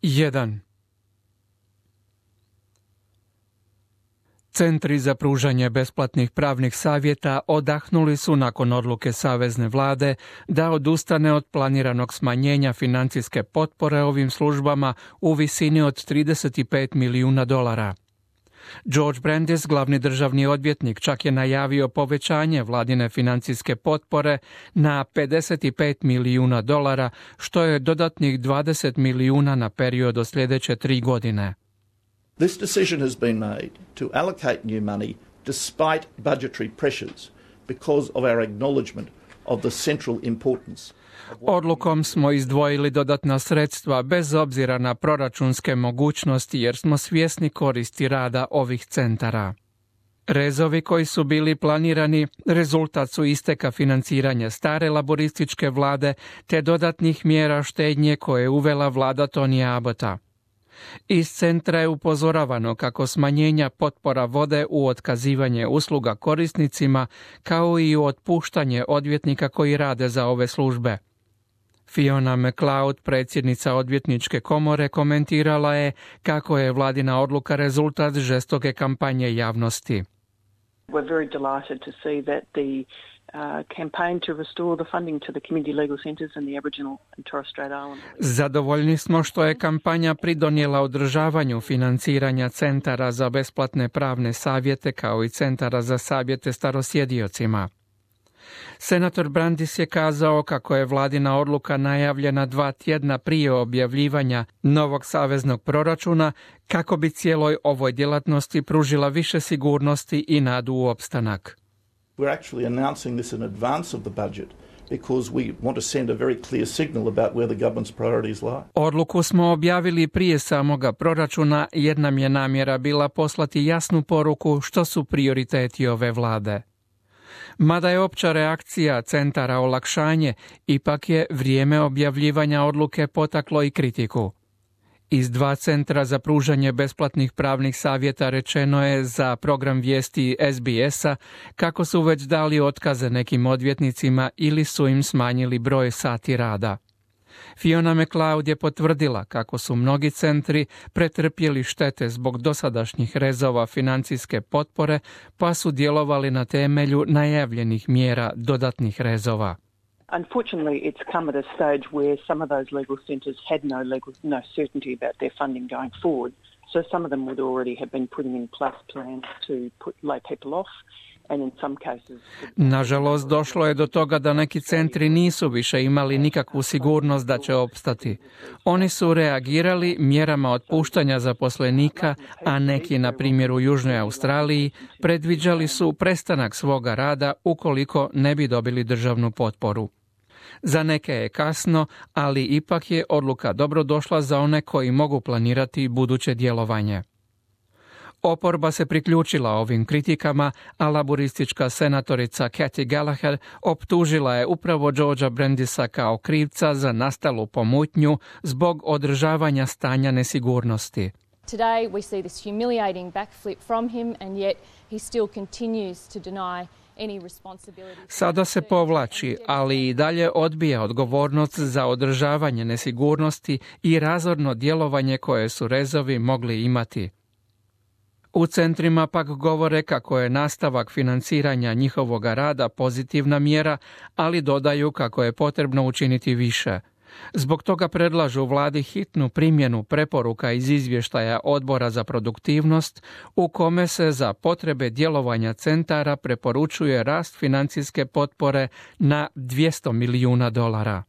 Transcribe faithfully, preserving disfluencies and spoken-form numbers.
jedan. Centri za pružanje besplatnih pravnih savjeta odahnuli su nakon odluke Savezne vlade da odustane od planiranog smanjenja financijske potpore ovim službama u visini od trideset pet milijuna dolara. George Brandis, glavni državni odvjetnik, čak je najavio povećanje vladine financijske potpore na pedeset pet milijuna dolara, što je dodatnih dvadeset milijuna na period od sljedeće tri godine. This decision has been made to allocate new money despite budgetary pressures because of our acknowledgement of the central importance. Odlukom smo izdvojili dodatna sredstva bez obzira na proračunske mogućnosti jer smo svjesni koristi rada ovih centara. Rezovi koji su bili planirani rezultat su isteka financiranja stare laborističke vlade te dodatnih mjera štednje koje je uvela vlada Tonija Abbotta. Iz centra je upozoravano kako smanjenja potpora vode u otkazivanje usluga korisnicima kao i u otpuštanje odvjetnika koji rade za ove službe. Fiona McLeod, predsjednica odvjetničke komore, komentirala je kako je vladina odluka rezultat žestoke kampanje javnosti. We're very delighted to see that the Uh, campaign to restore the funding to the community legal centres and the Aboriginal and Torres Strait Islanders. Zadovoljni smo što je kampanja pridonijela održavanju financiranja centara za besplatne pravne savjete kao i centara za savjete starosjediocima. Senator Brandis je kazao kako je vladina odluka najavljena dva tjedna prije objavljivanja novog saveznog proračuna kako bi cijeloj ovoj djelatnosti pružila više sigurnosti i nadu u opstanak. We're actually announcing this in advance of the budget because we want to send a very clear signal about where the government's priorities lie. Odluku smo objavili prije samoga proračuna jer nam je namjera bila poslati jasnu poruku što su prioriteti ove vlade. Mada je opća reakcija centara olakšanje, ipak je vrijeme objavljivanja odluke potaklo i kritiku. Iz dva centra za pružanje besplatnih pravnih savjeta rečeno je za program vijesti S B S-a kako su već dali otkaze nekim odvjetnicima ili su im smanjili broj sati rada. Fiona McLeod je potvrdila kako su mnogi centri pretrpjeli štete zbog dosadašnjih rezova financijske potpore, pa su djelovali na temelju najavljenih mjera dodatnih rezova. Unfortunately, it's come at a stage where some of those legal centres had no legal, no certainty about their funding going forward. So some of them would already have been putting in plus plans to put, lay people off. And in some cases... Nažalost, došlo je do toga da neki centri nisu više imali nikakvu sigurnost da će opstati. Oni su reagirali mjerama otpuštanja zaposlenika, a neki, na primjer u Južnoj Australiji, predviđali su prestanak svoga rada ukoliko ne bi dobili državnu potporu. Za neke je kasno, ali ipak je odluka dobrodošla za one koji mogu planirati buduće djelovanje. Oporba se priključila ovim kritikama, a laboristička senatorica Cathy Gallagher optužila je upravo Georgea Brandisa kao krivca za nastalu pomutnju zbog održavanja stanja nesigurnosti. Today we see this humiliating backflip from him and yet he still continues to deny any responsibility. Sada se povlači, ali i dalje odbija odgovornost za održavanje nesigurnosti i razorno djelovanje koje su rezovi mogli imati. U centrima pak govore kako je nastavak financiranja njihovoga rada pozitivna mjera, ali dodaju kako je potrebno učiniti više. Zbog toga predlažu vladi hitnu primjenu preporuka iz izvještaja Odbora za produktivnost u kome se za potrebe djelovanja centara preporučuje rast financijske potpore na dvjesto milijuna dolara.